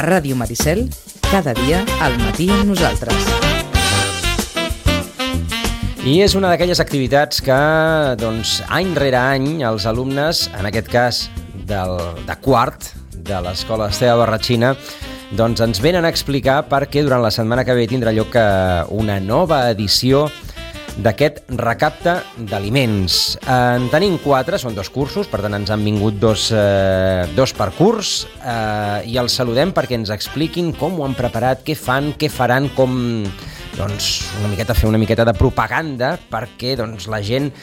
Ràdio Maricel, cada dia al matí amb nosaltres. I és una d'aquelles activitats que, doncs, any rere any, els alumnes, en aquest cas de quart de l'Escola Esteve Barratxina, doncs ens venen a explicar perquè durant la setmana que ve tindrà lloc una nova edició d'aquest recapte d'aliments. En tenim 4, són 2 cursos, per tant ens han vingut dos per curs, i els saludem perquè ens expliquin com ho han preparat, què fan, què faran, com fer una miqueta de propaganda perquè la gent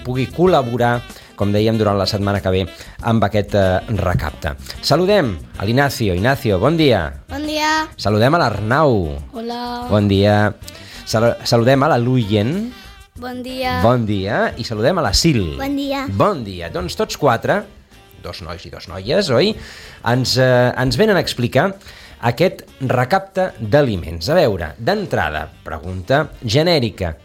pugui col·laborar, com dèiem, durant la setmana que ve amb aquest recapte. Saludem a l'Ignacio. Ignacio, bon dia. Bon dia. Saludem a l'Arnau. Hola. Bon dia. Saludem a la Luyen. Bon dia. Bon dia. I saludem a la Sil. Bon dia. Bon dia. Doncs tots 4, 2 nois i 2 noies, oi? Ens venen a explicar aquest recapte d'aliments. A veure, d'entrada, pregunta genèrica.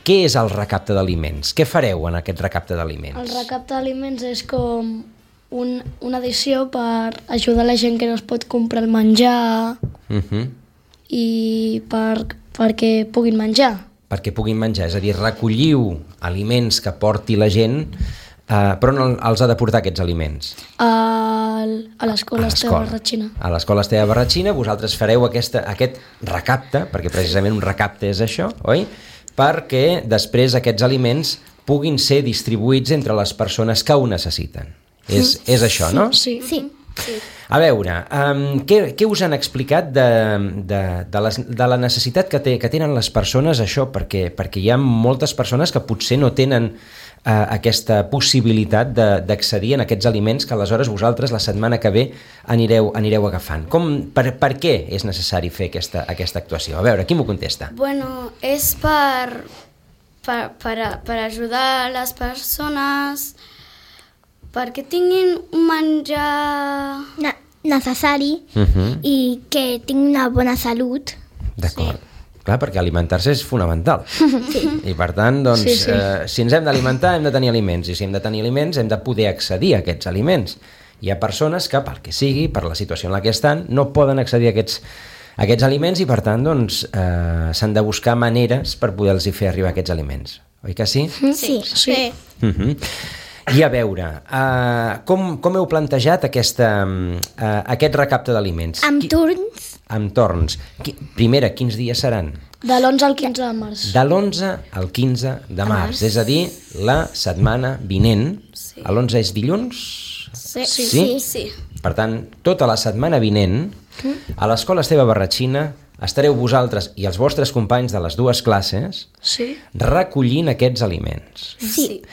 Què és el recapte d'aliments? Què fareu en aquest recapte d'aliments? El recapte d'aliments és com una edició per ajudar la gent que no es pot comprar el menjar i perquè puguin menjar. Perquè puguin menjar, és a dir, recolliu aliments que porti la gent, però no els ha de portar aquests aliments. A l'Escola Esteve Barratxina. A l'Escola Esteve Barratxina vosaltres fareu aquest recapte, perquè precisament un recapte és això, oi? Perquè després aquests aliments puguin ser distribuïts entre les persones que ho necessiten. És això, no? Sí. A veure, què us han explicat de la necessitat que tenen les persones, això? Perquè hi ha moltes persones que potser no tenen aquesta possibilitat d'accedir a aquests aliments que aleshores vosaltres la setmana que ve anireu agafant. Per què és necessari fer aquesta actuació? A veure, qui m'ho contesta? Bueno, és per ajudar les persones perquè tinguin un menjar necessari i que tinguin una bona salut. D'acord. Clar, perquè alimentar-se és fonamental. I per tant, si ens hem d'alimentar hem de tenir aliments, i si hem de tenir aliments hem de poder accedir a aquests aliments. Hi ha persones que, pel que sigui, per la situació en la que estan, no poden accedir a aquests aliments i per tant s'han de buscar maneres per poder-los fer arribar aquests aliments. Oi que sí? Sí. I a veure, com heu plantejat aquest recapte d'aliments? Amb turns. Amb torns. Primera, quins dies seran? De l'11 al 15 de març. De l'11 al 15 de març, és a dir, la setmana vinent. L'11 és dilluns? Sí. Per tant, tota la setmana vinent, a l'Escola Esteve Barratxina estareu vosaltres i els vostres companys de les 2 classes recollint aquests aliments. Sí.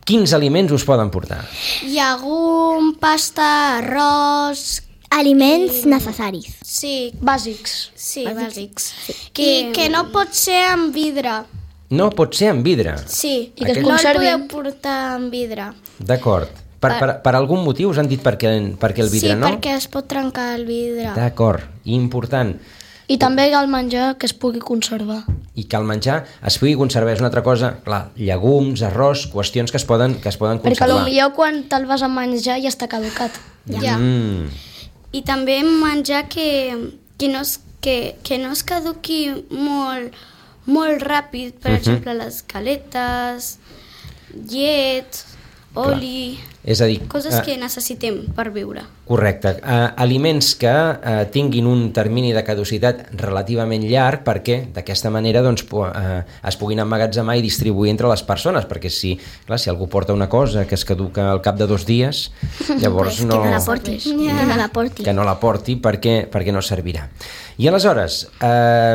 Quins aliments us poden portar? Llegum, pasta, arròs... Aliments necessaris. Sí. Bàsics. Sí, bàsics. Que no pot ser en vidre. No pot ser en vidre. Sí, I que es no el conservin. podeu portar en vidre. D'acord. Per algun motiu us han dit per què el vidre no? Sí, perquè es pot trencar el vidre. D'acord, important. I també el menjar que es pugui conservar. I que el menjar es pugui conservar és una altra cosa, clar, llegums, arròs, qüestions que es poden conservar. Perquè potser quan te'l vas a menjar ja està caducat. Ja. I també menjar que no es caduqui molt ràpid, per exemple, les galetes, llet, oli... És a dir, coses que necessitem per viure. Correcte. Aliments que tinguin un termini de caducitat relativament llarg perquè d'aquesta manera es puguin emmagatzemar i distribuir entre les persones, perquè si algú porta una cosa que es caduca al cap de 2 dies, llavors Que no la porti. Que no la porti perquè no servirà. I aleshores,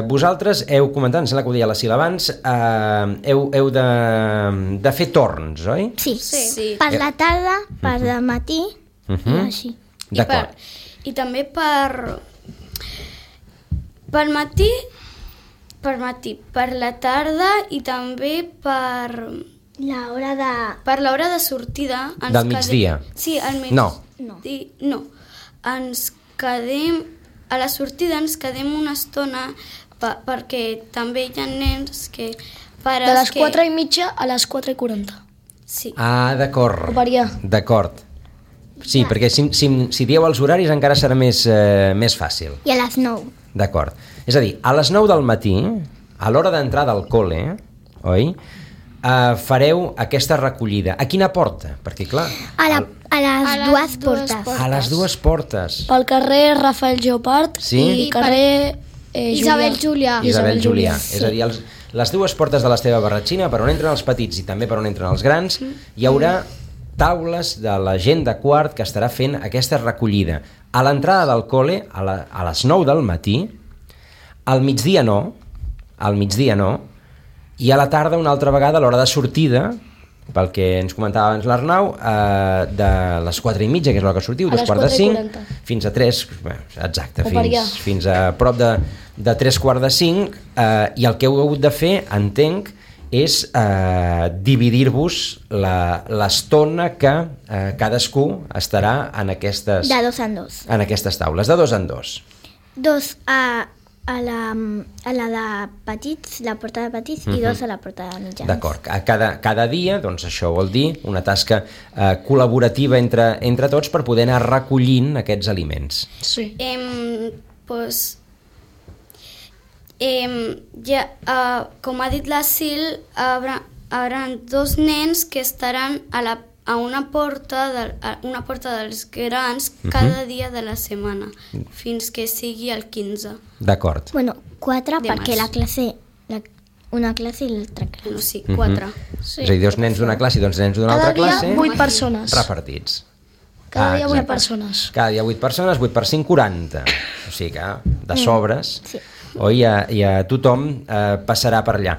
vosaltres heu comentat, em sembla que ho deia la Sil abans, heu de fer torns, oi? Sí. Per la tarda, per al matí i així. D'acord. I també per matí, per la tarda i també per l'hora de sortida. Del migdia? Sí, al migdia. No. Ens quedem, a la sortida ens quedem una estona perquè també hi ha nens que... De les 4:30 a les 4:40. Sí. Ah, d'acord. O variar. D'acord. Sí, perquè si dieu els horaris encara serà més fàcil. I a les 9. D'acord. És a dir, a les 9 del matí, a l'hora d'entrar del col·le, oi? Fareu aquesta recollida. A quina porta? Perquè, clar... A les dues portes. A les dues portes. Pel carrer Rafael Geopard i carrer Isabel Julià. Isabel Julià. És a dir, les dues portes de l'Esteve Barratxina, per on entren els petits i també per on entren els grans, hi haurà taules de la gent de quart que estarà fent aquesta recollida. A l'entrada del col·le, a les 9 del matí, al migdia no, i a la tarda una altra vegada a l'hora de sortida, pel que ens comentava abans l'Arnau, de les 4:30, que és l'hora que sortiu, 4:45, fins a 3, exacte, fins a prop de 3:45, i el que heu hagut de fer, entenc, és dividir-vos l'estona que cadascú estarà en aquestes... De 2 en 2. En aquestes taules, de 2 en 2. 2 a la de petits, la porta de petits, i 2 a la porta de mitjans. D'acord. Cada dia, doncs això vol dir una tasca col·laborativa entre tots per poder anar recollint aquests aliments. Sí. Com ha dit la Sil, haurà 2 nens que estaran a una porta dels grans cada dia de la setmana, fins que sigui el 15. D'acord. Bueno, 4 perquè març. la classe... Una classe i l'altra classe. No, sí, 4. Sí. És a dir, 2 nens d'una classe i 2 nens d'una altra classe... Cada dia 8 persones. Repartits. Cada dia 8 exacte. persones. Cada dia 8 persones, 8 per 5, 40. O sigui que de sobres, Sí. oi, ja tothom passarà per allà.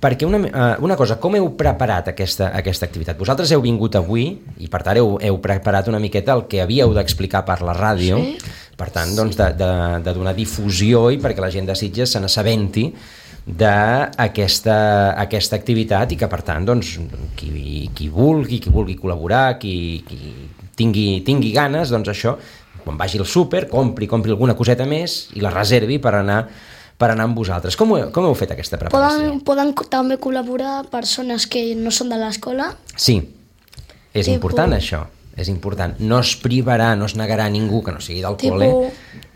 Perquè una cosa, com heu preparat aquesta activitat? Vosaltres heu vingut avui i per tant heu preparat una miqueta el que havíeu d'explicar per la ràdio, per tant, doncs, de donar difusió i perquè la gent de Sitges se n'assabenti d'aquesta activitat i que per tant, doncs, qui vulgui col·laborar, qui tingui ganes, doncs això, quan vagi al súper, compri alguna coseta més i la reservi per anar amb vosaltres. Com heu fet aquesta preparació? Poden també col·laborar persones que no són de l'escola. Sí, és important això, és important. No es privarà, no es negarà a ningú que no sigui del col·le.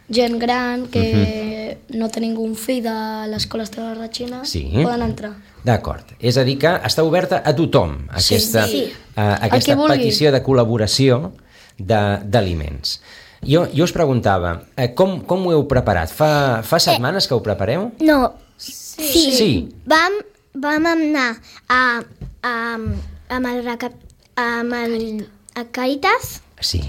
Gent gran que no té ningú fill de l'escola Esteve Barratxina, poden entrar. D'acord, és a dir que està oberta a tothom aquesta petició de col·laboració d'aliments. Jo us preguntava, com ho heu preparat? Fa setmanes que ho prepareu? No, sí. Vam anar a Càritas. Sí.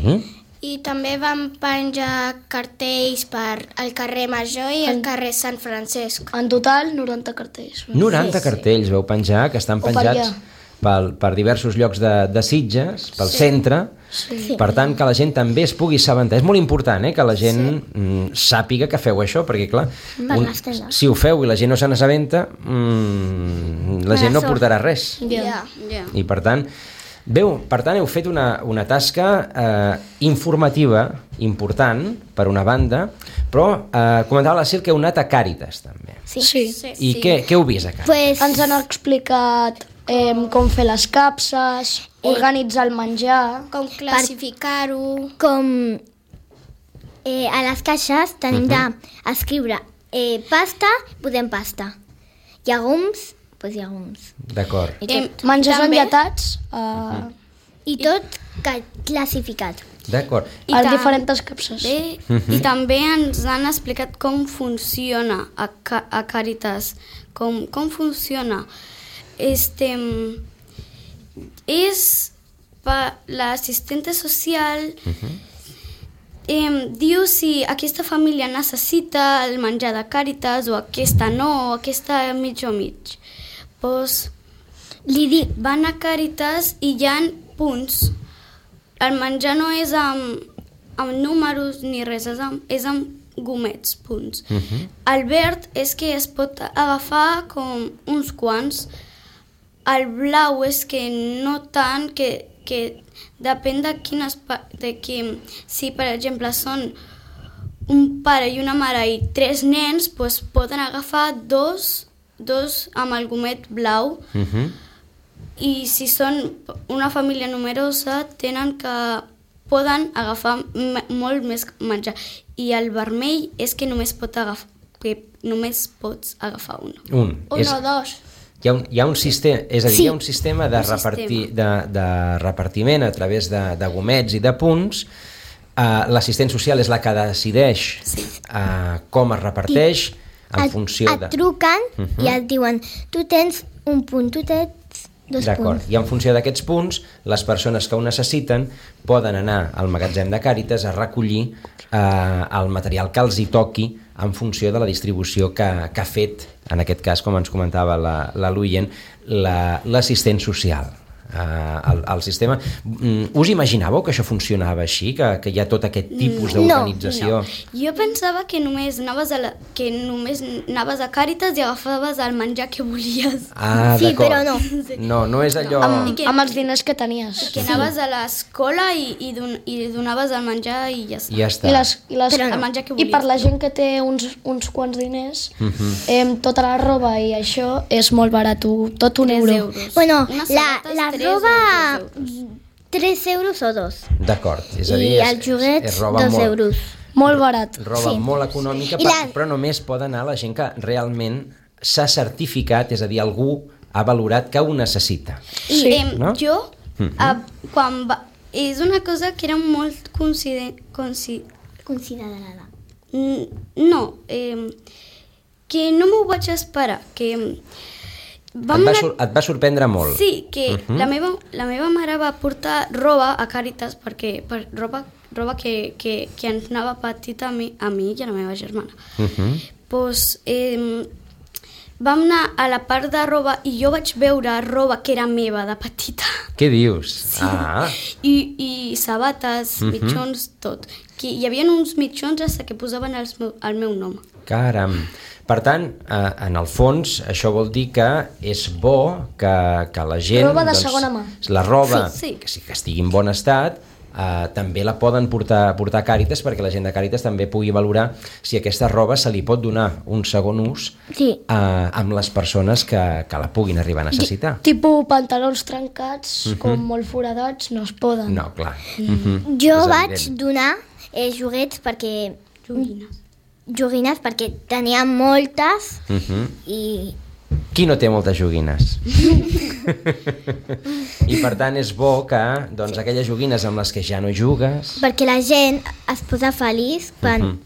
I també vam penjar cartells per al carrer Major i al carrer Sant Francesc. En total, 90 cartells. 90 cartells veu penjar, que estan penjats per diversos llocs de Sitges, pel centre. Sí. Per tant, que la gent també es pugui assabentar. És molt important que la gent sàpiga que feu això, perquè clar, si ho feu i la gent no se n'assabenta, la gent no portarà res. I per tant, heu fet una tasca informativa important, per una banda, però comentava la Sil que heu anat a Càritas també. Sí. I què heu vist a Càritas? Ens han explicat com fer les capses, organitzar el menjar, com classificar-ho, com a les caixes tenim d'escriure pasta, posem pasta. Llegums, doncs llegums. D'acord. Menjars enllatats I tot classificat. D'acord. a diferents capses. I també ens han explicat com funciona a Càritas. Com funciona. L'assistente social diu si aquesta família necessita el menjar de Càritas o aquesta no, o aquesta mig o mig. Doncs van a Càritas i hi ha punts. El menjar no és amb números ni res, és amb gomets, punts. El verd és que es pot agafar com uns quants. El blau és que no tant, que depèn de si per exemple són un pare i una mare i 3 nens, doncs poden agafar dos amb el gomet blau. I si són una família numerosa tenen que poden agafar molt més menjar. I el vermell és que només pots agafar un. Un o dos. Hi ha un sistema, és a dir, Sí. hi ha un sistema de repartiment a través de gomets i de punts. L'assistent social és la que decideix com es reparteix en funció de... Et truquen i et diuen, tu tens un punt, tu tens 2 D'acord, punts. i en funció d'aquests punts, les persones que ho necessiten poden anar al magatzem de Càritas a recollir el material que els hi toqui en funció de la distribució que ha fet, en aquest cas, com ens comentava la Luyen, l'assistent social. El sistema... Us imaginàveu que això funcionava així? Que hi ha tot aquest tipus d'organització? No. Jo pensava que només anaves a Càritas i agafaves el menjar que volies. Sí, d'acord. però no. No és allò... Amb els diners que tenies. Que anaves a l'escola i donaves el menjar i ja està. Ja està. El menjar que I per volies. la gent que té uns quants diners, tota la roba i això és molt barat, tot 1 euro. Bueno, Unes la sabates, 3 roba, o 2 euros. 3 euros o 2. D'acord, és a dir... I els joguets, 2 euros. Molt barat. Roba molt econòmica, però només pot anar la gent que realment s'ha certificat, és a dir, algú ha valorat que ho necessita. I no? jo, quan és una cosa que era molt Considerada. No, que no m'ho vaig esperar, que... Et va sorprendre molt. Sí, que la meva mare va portar roba a Càritas roba que ens anava petita a mi i a la meva germana. Pues, vam anar a la part de roba i jo vaig veure roba que era meva de petita. Què dius? Sí. I sabates, mitjons, tot. Que hi havia uns mitjons fins que posaven el meu nom. Caram. Per tant, en el fons, això vol dir que és bo que la gent... Roba de segona mà. La roba, Sí. que estigui en bon estat, també la poden portar a Càritas perquè la gent de Càritas també pugui valorar si aquesta roba se li pot donar un segon ús amb les persones que la puguin arribar a necessitar. Tipus pantalons trencats, com molt foradats, no es poden. No, clar. Jo És vaig evident. donar joguets perquè... Joguines perquè tenia moltes i... Qui no té moltes joguines? I per tant és bo que aquelles joguines amb les que ja no jugues... Perquè la gent es posa feliç quan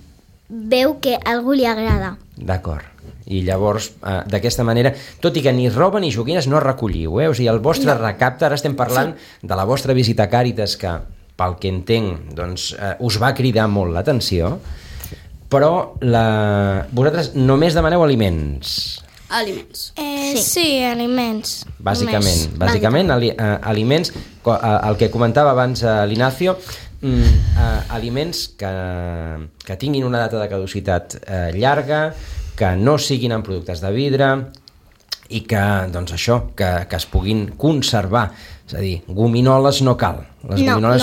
veu que algú li agrada. D'acord. I llavors, d'aquesta manera, tot i que ni roba ni joguines no recolliu, o sigui, el vostre recapte, ara estem parlant de la vostra visita a Càritas, que, pel que entenc, us va cridar molt l'atenció, però vosaltres només demaneu aliments. Aliments. Sí, aliments. Bàsicament aliments, el que comentava abans l'Ignacio, aliments que tinguin una data de caducitat llarga, que no siguin en productes de vidre i que, que es puguin conservar. És a dir, gominoles no cal. Les gominoles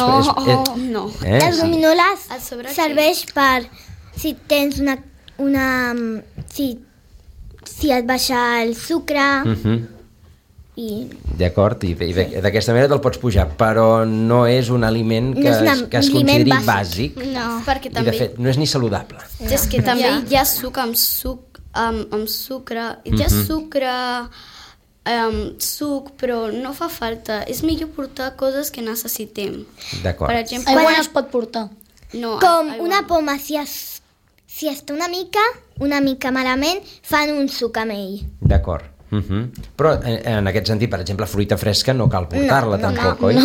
No. Les gominoles A sobre serveix per si tens si et baixa el sucre i... D'acord, i d'aquesta manera te'l pots pujar, però no és un aliment que es consideri bàsic. No. Perquè I de també fet no és ni saludable. és que també hi ha suc amb sucre, hi ha suc, però no fa falta. És millor portar coses que necessitem. D'acord. Per exemple, Aigua no es pot portar. no, Com aigua una no. poma, si està una mica malament, fan un suc amb ell. D'acord. Però en aquest sentit, per exemple, fruita fresca no cal portar-la tampoc, oi?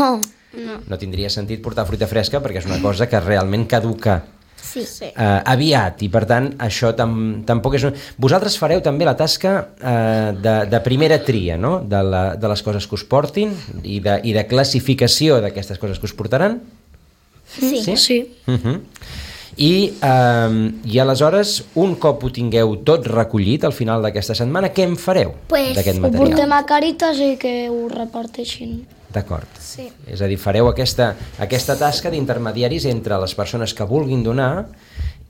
No tindria sentit portar fruita fresca perquè és una cosa que realment caduca Sí. aviat, i per tant això tampoc és... Vosaltres fareu també la tasca de primera tria, no? De les coses que us portin i de classificació d'aquestes coses que us portaran? Sí. I aleshores, un cop ho tingueu tot recollit al final d'aquesta setmana, què en fareu d'aquest Ho material? portem a Càritas i que ho reparteixin. D'acord. Sí. És a dir, fareu aquesta tasca d'intermediaris entre les persones que vulguin donar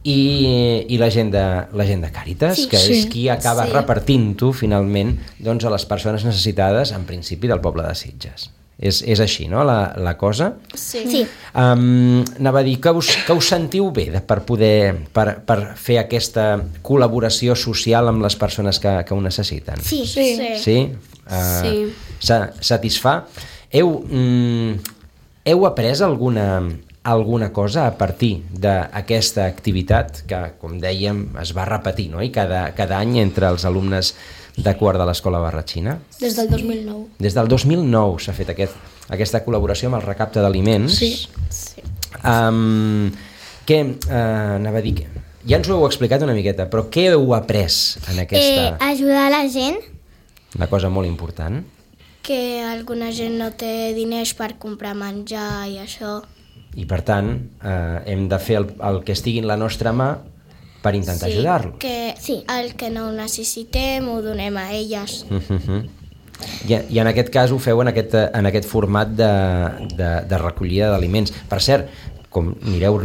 i la gent de Càritas, que és qui acaba repartint-ho finalment a les persones necessitades, en principi, del poble de Sitges. És així, no?, la cosa? Sí. Anava a dir que us sentiu bé per fer aquesta col·laboració social amb les persones que ho necessiten? Sí. Sí? Satisfà? Heu après alguna cosa a partir d'aquesta activitat que, com dèiem, es va repetir, no?, i cada any entre els alumnes de quart de l'Escola Barratxina? Des del 2009. Des del 2009 s'ha fet aquesta col·laboració amb el recapte d'aliments. Sí. Què anava a dir? Ja ens ho heu explicat una miqueta, però què heu après en aquesta... Ajudar la gent. Una cosa molt important. Que alguna gent no té diners per comprar menjar i això. I per tant, hem de fer el que estigui en la nostra mà per intentar ajudar-los. Que el que no ho necessitem ho donem a elles. I en aquest cas ho feu en aquest format de recollida d'aliments. Per cert, com anireu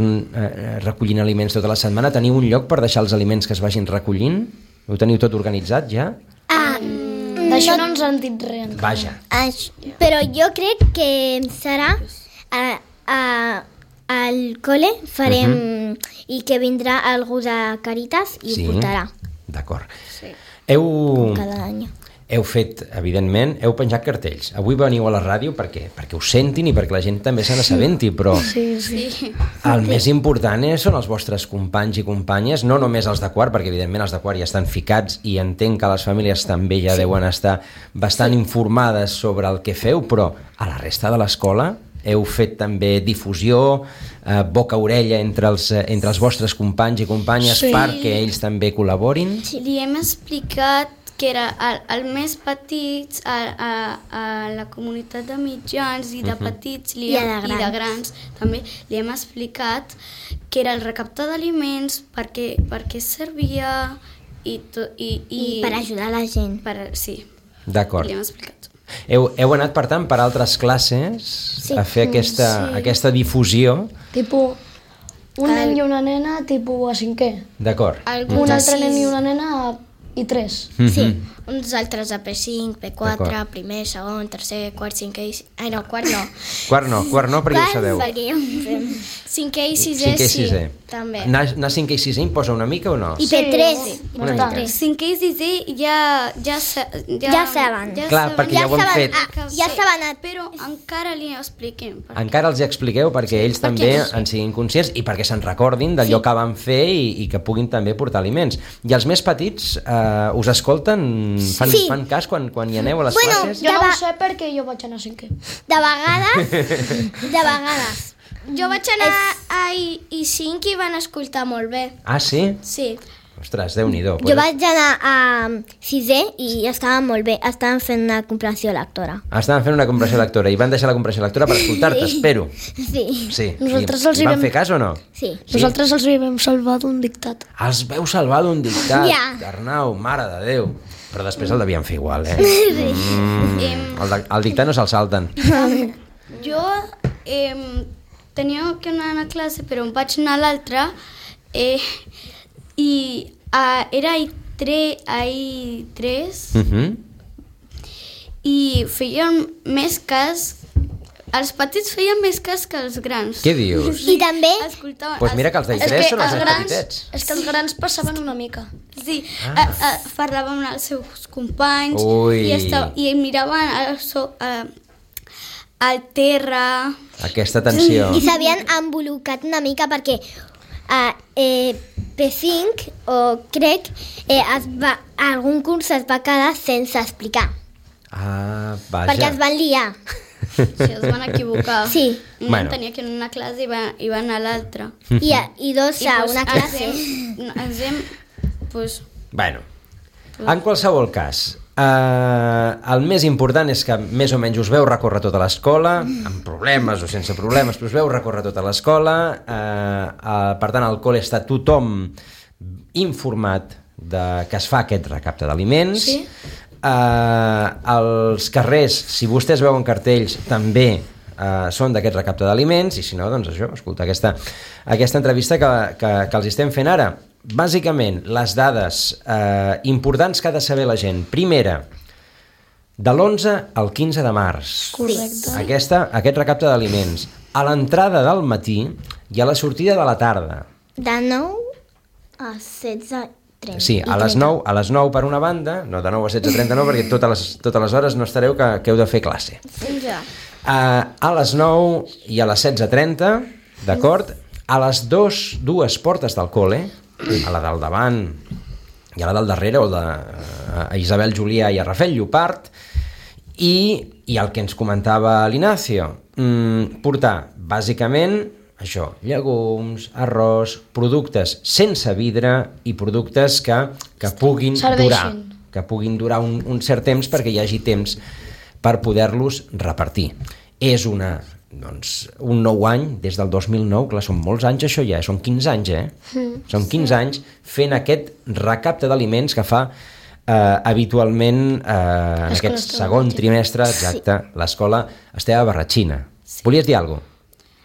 recollint aliments tota la setmana, teniu un lloc per deixar els aliments que es vagin recollint? Ho teniu tot organitzat ja? D'això no ens han dit res. Vaja. Però jo crec que serà al col·le farem i que vindrà algú de Càritas i ho portarà. D'acord. Sí. Cada any. Heu fet, evidentment, heu penjat cartells. Avui veniu a la ràdio perquè ho sentin i perquè la gent també se n'assabenti, però el més important són els vostres companys i companyes, no només els de quart, perquè evidentment els de quart ja estan ficats i entenc que les famílies també ja deuen estar bastant informades sobre el que feu, però a la resta de l'escola heu fet també difusió, boca-orella entre els vostres companys i companyes perquè ells també col·laborin? Li hem explicat que era el més petits, a la comunitat de mitjans i de petits i de grans també li hem explicat que era el recapte d'aliments, per què servia i per ajudar la gent. Sí, d'acord. li hem explicat. Heu anat, per tant, per altres classes a fer aquesta difusió? Tipo, un nen i una nena, tipo a 5è. D'acord. Un altre nen i una nena i 3. Sí. Uns altres a P5, P4, primer, segon, tercer, quart, cinquè i... Ai, no, quart no. Quart no, perquè ho sabeu. Perquè ja ho fem. Cinquè i sisè, sí, també. Anar 5è i 6è imposa una mica o no? I P3. Una mica. 5è i 6è ja saben. Clar, perquè ja ho han fet. Ja saben, però encara li expliquem. Encara els hi expliqueu perquè ells també en siguin conscients i perquè se'n recordin d'allò que van fer i que puguin també portar aliments. I els més petits us escolten? Fan cas quan hi aneu a les classes? Jo no ho sé perquè jo vaig anar a 5è. De vegades. Jo vaig anar a I5 i van escoltar molt bé. Ah, sí? Sí. Ostres, Déu-n'hi-do. Jo vaig anar a 6è i estaven molt bé. Estaven fent una comprensió lectora. Estaven fent una comprensió lectora i van deixar la comprensió lectora per escoltar-te, espero. Sí. Nosaltres els I van vam fer cas o no? Sí. Nosaltres els vam salvar d'un dictat. Els veu salvar d'un dictat, Ja. Arnau, mare de Déu. Però després el devien fer igual, El dictat no se'l salten. Jo tenia que anar a una classe, però em vaig anar a l'altra i era I3 i feien més cas. Els petits feien més cas que els grans. Què dius? I també... Doncs mira que els d'I3 són els més petitets. És que els grans passaven una mica. Sí, parlaven amb els seus companys Ui. i miraven al terra. Aquesta tensió. I s'havien embolicat una mica perquè P5, o crec, algun curs es va quedar sense explicar. Ah, vaja. Perquè es van liar. Sí, es van equivocar. Sí. Un tenia que anar a una classe i va anar a l'altra. I dos a una classe. Bueno, en qualsevol cas, el més important és que més o menys us veu recórrer tota l'escola, amb problemes o sense problemes, però us veu recórrer tota l'escola. Per tant, al col·le està tothom informat que es fa aquest recapte d'aliments. Sí. Els carrers, si vostès veuen cartells, també són d'aquest recapte d'aliments, i si no, doncs això, escolta, aquesta entrevista que els estem fent ara. Bàsicament, les dades importants que ha de saber la gent. Primera, de l'11 al 15 de març. Correcte. Aquest recapte d'aliments. A l'entrada del matí i a la sortida de la tarda. De 9 a 16:30. Sí, a les 9 per una banda, no de 9 a 16:30 no, perquè totes les hores no estareu que heu de fer classe. A les 9 i a les 16:30, d'acord? A les dues portes del col·le, a la del davant i a la del darrere, o a Isabel Julià i a Rafael Llopart, i el que ens comentava l'Ignacio, portar bàsicament això, llegums, arròs, productes sense vidre i productes que puguin durar un cert temps perquè hi hagi temps per poder-los repartir. És un nou any, des del 2009, clar, són molts anys això ja, són 15 anys, Són 15 anys fent aquest recapte d'aliments que fa habitualment en aquest segon trimestre, exacte, l'escola Esteve Barratxina. Volies dir alguna cosa?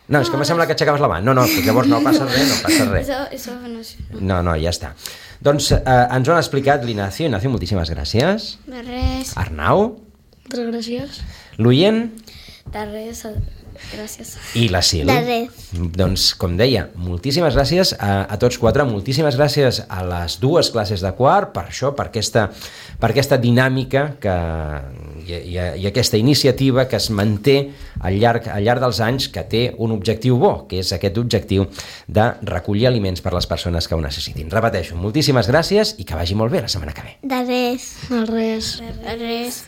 No, és que em sembla que aixecaves la mà. No, llavors no passa res. No, ja està. Doncs ens ho han explicat l'Ignacio. Ignacio, moltíssimes gràcies. De res. Arnau. Moltes gràcies. L'Uyen. De res, gràcies. I la Sil. De res. Doncs, com deia, moltíssimes gràcies a tots quatre, moltíssimes gràcies a les dues classes de quart per això, per aquesta dinàmica i aquesta iniciativa que es manté al llarg dels anys, que té un objectiu bo, que és aquest objectiu de recollir aliments per les persones que ho necessitin. Repeteixo, moltíssimes gràcies i que vagi molt bé la setmana que ve. De res. De res. De res.